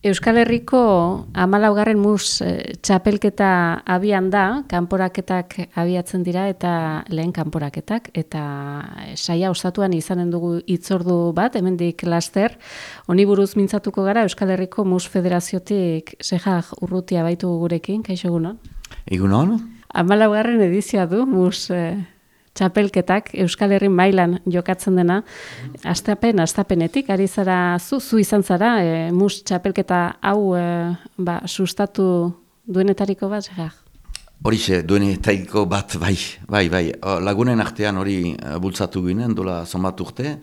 Euskal Herriko 14. Txapelketa abian da, kanporaketak abiatzen dira eta lehen kanporaketak, eta saia ostatuan izanen dugu hitzordu bat, hemendik laster, honi buruz mintzatuko gara Euskal Herriko Mus Federaziotik Sejak Urrutia baitu gurekin, kaixo egunon? Egunon? 14. edizioa du Mus txapelketak Euskal Herri mailan jokatzen dena, astapenetik, ari zara, zu izan zara, Mus txapelketa hau sustatu duenetariko bat, Sejak? Horixe, duenetariko bat, bai. Lagunen artean hori bultzatu ginen, dola zonbat urte,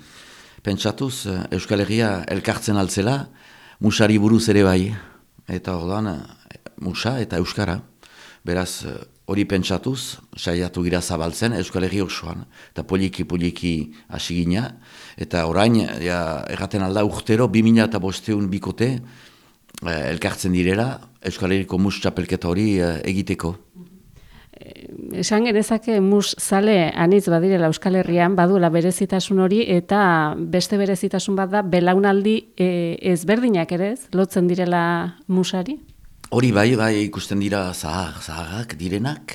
pentsatuz Euskal Herria elkartzen altzela, musari buruz ere bai, eta ordan musa eta euskara. Beraz, hori pentsatuz, saiatu gira zabaltzen Euskal Herri osoan, eta poliki hasi gina, eta orain, erraten alda urtero, 2005 bikote elkartzen direla Euskal Herriko Mus txapelketa hori egiteko. Esan genezake mus zale anitz badirela Euskal Herrian, baduela berezitasun hori, eta beste berezitasun bat da, belaunaldi ezberdinak ere ez, lotzen direla musari? Hori bai, ikusten dira zaharrak direnak,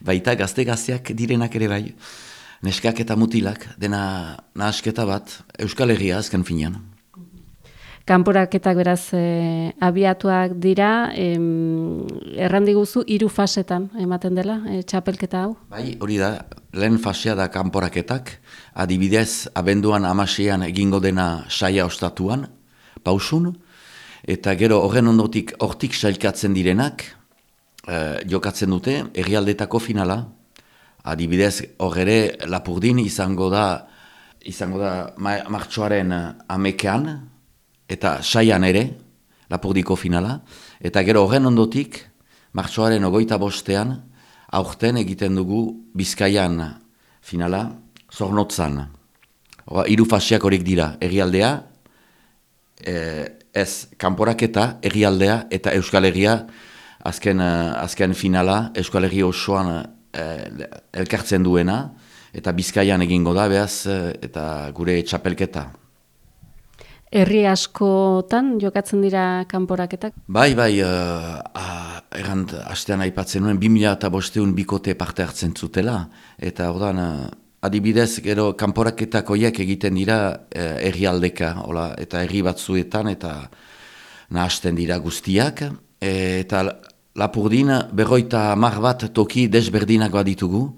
baita gazte-gazteak direnak ere bai, neskak eta mutilak, dena nahasketa bat, Euskal Herria azken finean. Kanporaketak beraz abiatuak dira, errandiguzu 3 fasetan ematen dela, txapelketa hau? Bai, hori da, lehen fasea da kanporaketak, adibidez, abenduan 16an egingo dena saia ostatuan, pausun, eta gero horren ondotik hortik sailkatzen direnak, jokatzen dute, herrialdetako finala. Adibidez, hor ere Lapurdin izango da martxoaren 11an, eta saian ere, Lapurdiko finala. Eta gero horren ondotik, martxoaren 25ean, aurten egiten dugu Bizkaian finala, Zornotzan. 3 faseak horiek dira, herrialdea, ez kanporaketa, herrialdea eta Euskal Herria azken finala Euskal Herri osoan elkartzen duena, eta Bizkaian egingo da, behaz, eta gure txapelketa. Herri askotan jokatzen dira kanporaketak? Bai, astean aipatzen nuen, 2005 bikote parte hartzen zutela, eta ordan, adibidez, gero kanporaketak horiek egiten dira herrialdeka, eta herri batzuetan, eta nahasten dira guztiak, eta Lapurdin 50 bat toki desberdinak baditugu,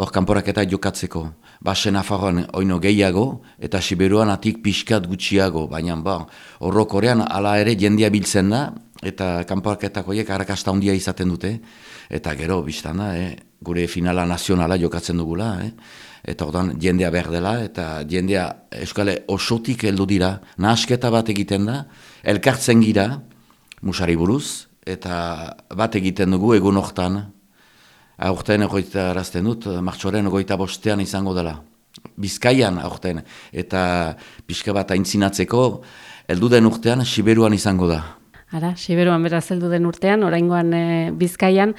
hor kanporaketak jokatzeko. Basen Nafarroan oino gehiago, eta Siberuan atik pixkat gutxiago, baina horrokorean hala ere jendea biltzen da, eta kanporaketak horiek arrakasta handia izaten dute, eta gero biztan da, gure finala nazionala jokatzen dugula, eta ordan jendea behar dela, eta jendea Euskal osotik heldu dira, nahasketa bat egiten da, elkartzen gira, musari buruz, eta bat egiten dugu egun hortan, aurten egoitarazten dut, martxoaren 25ean izango dela. Bizkaian aurten, eta pixka bat aintzinatzeko, heldu den urtean Siberuan izango da. Siberuan beraz heldu den urtean, oraingoan Bizkaian,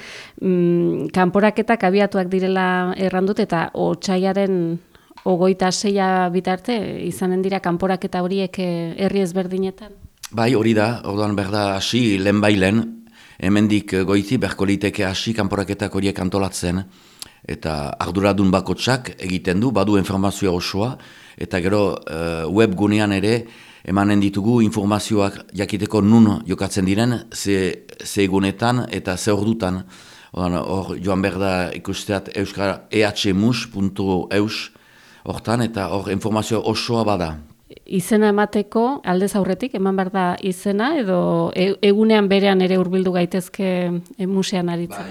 kanporaketak abiatuak direla errandut, eta otsaiaren 26 bitarte izanen dira kanporaketa horiek herri ezberdinetan? Bai, hori da, orduan berda hasi lehen, hemendik goiti berko liteke hasi kanporaketak horiek antolatzen, eta arduradun bakotsak egiten du, badu informazioa osoa, eta gero webgunean ere emanen ditugu informazioak jakiteko nun jokatzen diren, ze egunetan eta ze ordutan. Hor joan berda ikusteat ehmus.eus hortan, eta hor informazio osoa bada. Izena emateko aldez aurretik, eman behar da izena, edo egunean berean ere hurbildu gaitezke musean aritzen?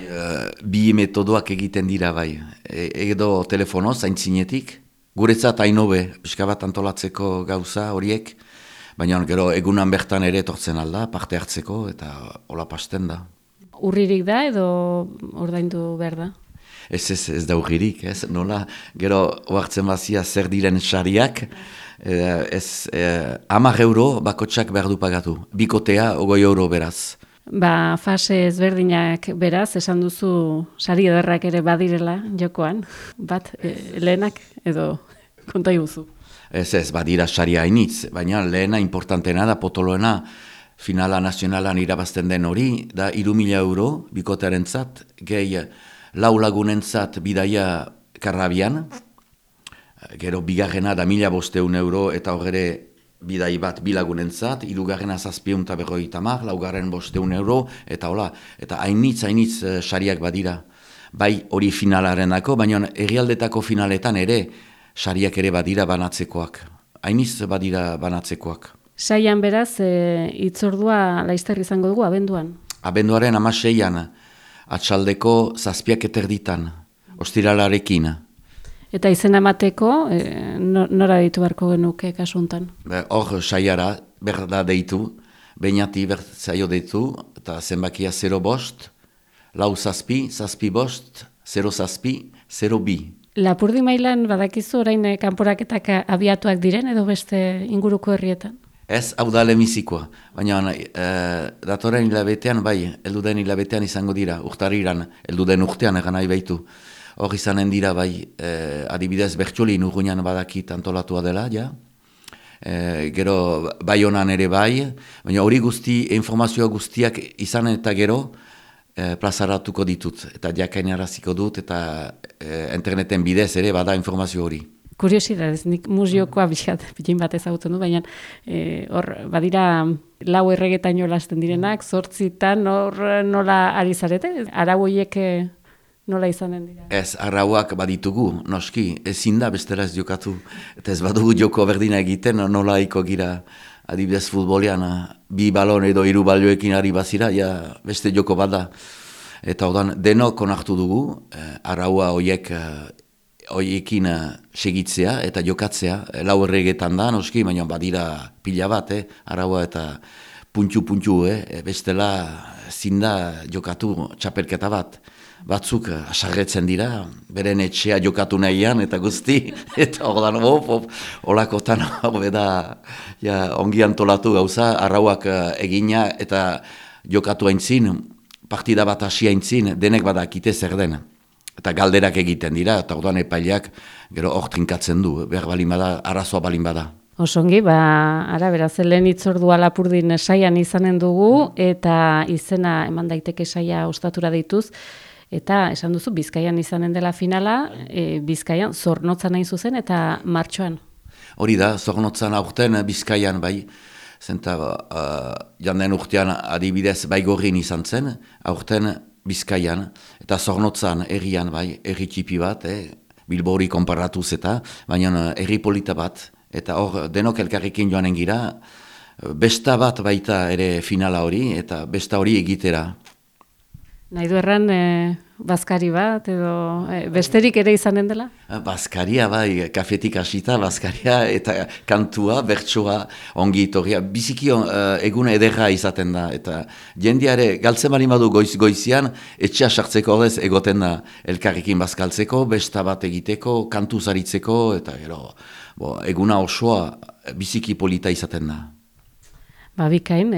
Bi metodoak egiten dira bai. Edo telefonoz, aintzinetik, guretzat hainobe, pixka bat antolatzeko gauza horiek, baina gero egunan bertan ere etortzen alda, parte hartzeko, eta hola pasten da. Urririk da, edo ordaindu behar da? Ez da urririk, nola, gero oartzen bazia zer diren sariak, 10 euro bakotsak behar du pagatu, bikotea 20 euro beraz. Fase ezberdinak beraz, esan duzu sari ederrak ere badirela jokoan, bat lehenak edo konta iguzu. Ez, badira saria hainitz, baina lehena importantena da potoloena finala nazionalan irabazten den hori, da 3.000 euro bikotearen zat, gehi 4 lagunentzat bidaia Karrabian, gero bigarrena da 1.500 euro eta horre bidai bat 2 lagunentzat, 3. 750, laugarren 500 euro, eta hola, eta hainitz sariak badira. Bai hori finalarenako, baina herrialdetako finaletan ere sariak ere badira banatzekoak. Hainitz badira banatzekoak. Saian beraz, hitzordua laizter izango dugu abenduan? Abenduaren 16an, atxaldeko 7:30, ostiralarekin. Eta izena emateko, nora deitu beharko genuke kasuntan? Hor saiara, berda deitu, bainati zaio deitu, eta zenbakia 0 lau zazpi, zazpi bost, 0 zazpi, 0 bi. Lapurdi mailan badakizu orain kanporaketak abiatuak diren edo beste inguruko herrietan? Ez, hau da lemizikoa, baina datoren hilabetean, bai, elduden hilabetean izango dira, urtariran, elduden urtean egan nahi baitu. Hor izanen dira, bai, adibidez Bertxolin urgunean badakit antolatua dela, ja. Gero bai honan ere bai, baina hori informazioa guztiak izan eta gero plazaratuko ditut, eta jakainaraziko dut, eta interneten bidez ere bada informazio hori. Kuriosidadez, nik museokoa bilin bat ezagutzen du, baina hor badira 4 erregetaino lasten direnak, 8 hor nola ari zarete? Arau horiek nola izanen dira? Ez, arauak baditugu, noski, ezin da bestela ez jokatu, eta ez badugu joko berdina egiten, nola iko gira, adibidez futbolean, 2 balon edo 3 balioekin ari bazira, ja beste joko bada. Eta odan, denok onartu dugu, araua hoiekin segitzea eta jokatzea, 4 erregetan da, noski, baina badira pila bat, araua eta puntxu, bestela zinda jokatu txapelketa bat. Batzuk asarretzen dira, beren etxea jokatu nahian eta guzti, eta ordan holakotan da ongi antolatu gauza, arrauak egina eta jokatu haintzin, partida bat hasi haintzin, denek badakite zer den. Eta galderak egiten dira, eta ordan epaileak gero hor trinkatzen du, behar balin bada, arazoa balin bada. Osongi, ara beraz, lehen hitzordua Lapurdin saian izanen dugu, eta izena eman daiteke saia ostatura deituz, eta esan duzu, Bizkaian izanen dela finala, Bizkaian Zornotzan nahi zuzen, eta martxoan. Hori da, Zornotzan aurten Bizkaian, bai, zenta janden urtean adibidez Baigorrin izan zen, aurten Bizkaian, eta Zornotzan herrian, bai, herri txipi bat, Bilbori konparatuz eta, baina herri polita bat, eta hor denok elkarrekin joanen gira, besta bat baita ere finala hori, eta besta hori egitera. Nahi du erran, bazkari bat, edo besterik ere izanen dela? Bazkaria, bai, kafetik hasita, bazkaria, eta kantua, bertsoa, ongi itorria, biziki egune ederra izaten da, eta jendeare galtzen bali badu goizian, etxea sartzeko horrez egoten da elkarrekin bazkaltzeko, besta bat egiteko, kantu zaritzeko, eta gero, eguna osoa biziki polita izaten da. Bikain,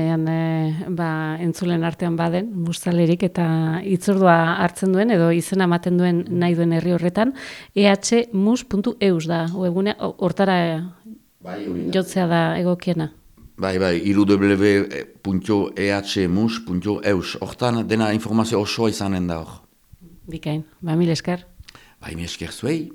entzulen artean baden, mustalerik eta hitzordua hartzen duen, edo izena ematen duen nahi duen herri horretan, ehmus.eus da, webgune hortara jotzea da egokiena. Bai, www.ehmus.eus, hortan dena informazio osoa izanen da hor. Bikain, mil esker. Mil esker zuei.